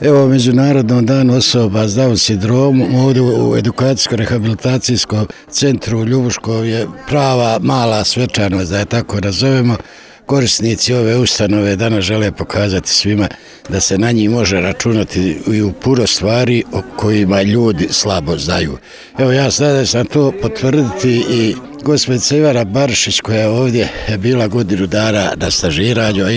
Evo, Međunarodnom danu osoba s Down sindromom ovdje u edukacijsko-rehabilitacijskom centru u Ljubuškom je prava mala svečanost, da je tako nazovemo. Korisnici ove ustanove danas žele pokazati svima da se na njih može računati i u puno stvari o kojima ljudi slabo znaju. Evo, ja sada sam to potvrditi i gospođica Ivana Barišić koja je ovdje bila godinu dana na stažiranju, a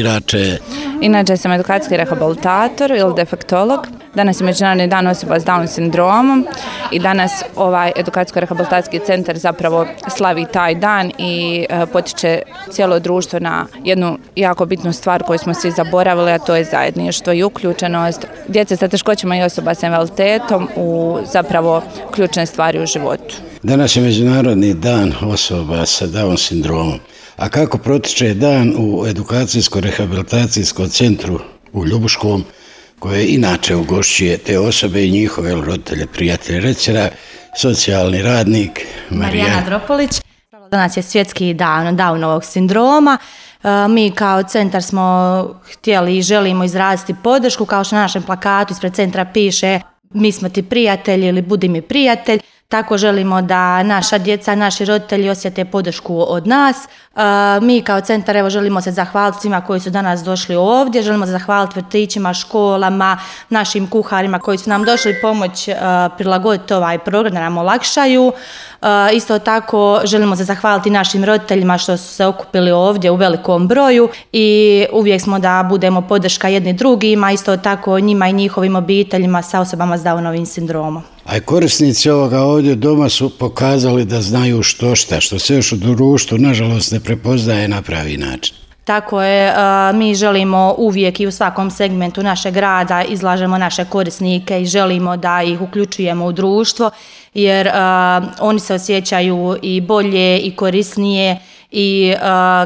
Inače sam edukacijski rehabilitator ili defektolog. Danas je Međunarodni dan osoba s Down sindromom i danas ovaj edukacijsko-rehabilitacijski centar zapravo slavi taj dan i potiče cijelo društvo na jednu jako bitnu stvar koju smo svi zaboravili, a to je zajedništvo i uključenost djece sa teškoćama i osoba s invaliditetom u zapravo ključne stvari u životu. Danas je Međunarodni dan osoba sa Down sindromom. A kako protiče dan u edukacijsko-rehabilitacijskom centru u Ljubuškom, koje inače ugošćuje te osobe i njihove roditelje, prijatelje? Reći socijalni radnik Marijana Dropolić. Danas je svjetski dan Downovog sindroma. Mi kao centar smo htjeli i želimo izraziti podršku, kao što na našem plakatu ispred centra piše mi smo ti prijatelji ili budi mi prijatelj. Tako želimo da naša djeca, naši roditelji osjete podršku od nas. Mi kao centar evo želimo se zahvaliti svima koji su danas došli ovdje, želimo se zahvaliti vrtićima, školama, našim kuharima koji su nam došli pomoć prilagoditi ovaj program da nam olakšaju. Isto tako želimo se zahvaliti našim roditeljima što su se okupili ovdje u velikom broju i uvijek smo da budemo podrška jedni drugima, isto tako njima i njihovim obiteljima sa osobama s Downovim sindromom. A korisnici ovoga ovdje doma su pokazali da znaju što se još u društvu nažalost ne prepoznaje na pravi način. Tako je, mi želimo uvijek i u svakom segmentu našeg rada izlažemo naše korisnike i želimo da ih uključujemo u društvo jer oni se osjećaju i bolje i korisnije i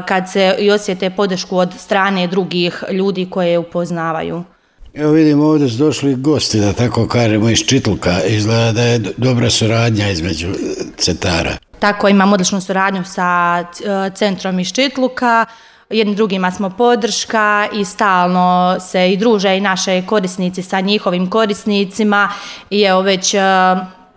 kad se i osjete podršku od strane drugih ljudi koje upoznavaju. Evo vidimo ovdje su došli gosti, da tako kažemo, iz Čitluka. Izgleda da je dobra suradnja između centara. Tako, imamo odličnu suradnju sa centrom iz Čitluka. Jednim drugima smo podrška i stalno se i druže i naše korisnici sa njihovim korisnicima i evo već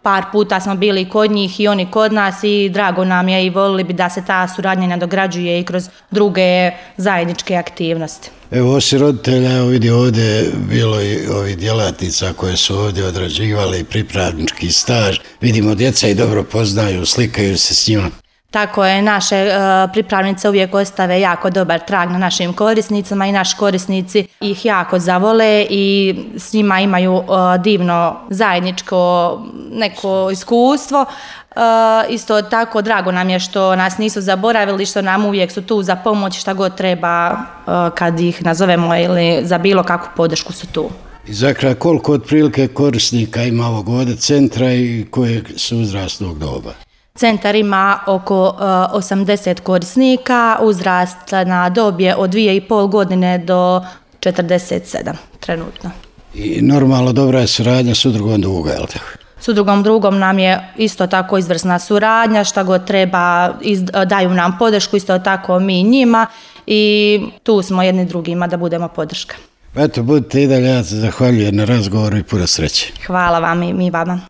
par puta smo bili kod njih i oni kod nas i drago nam je i volili bi da se ta suradnja nadograđuje i kroz druge zajedničke aktivnosti. Evo, osim roditelja, evo vidi ovdje bilo i ovih djelatnica koje su ovdje odrađivali pripravnički staž. Vidimo djeca i dobro poznaju, slikaju se s njima. Tako je, naše pripravnice uvijek ostave jako dobar trag na našim korisnicama i naši korisnici ih jako zavole i s njima imaju divno zajedničko neko iskustvo. Isto tako drago nam je što nas nisu zaboravili, što nam uvijek su tu za pomoć, šta god treba kad ih nazovemo ili za bilo kakvu podršku su tu. I za kraj, koliko otprilike korisnika ima ovog ovdje centra i kojeg su uzrasnog doba? Centar ima oko 80 korisnika, uzrasna dob je od 2,5 godine do 47 trenutno. I normalno dobra je suradnja s udrugom Druga, je li tako? S udrugom Drugom nam je isto tako izvrsna suradnja, šta god treba daju nam podršku, isto tako mi njima i tu smo jedni drugima da budemo podrška. Eto, budite i dalje, ja se zahvaljujem na razgovoru i puno sreće. Hvala vam i mi vama.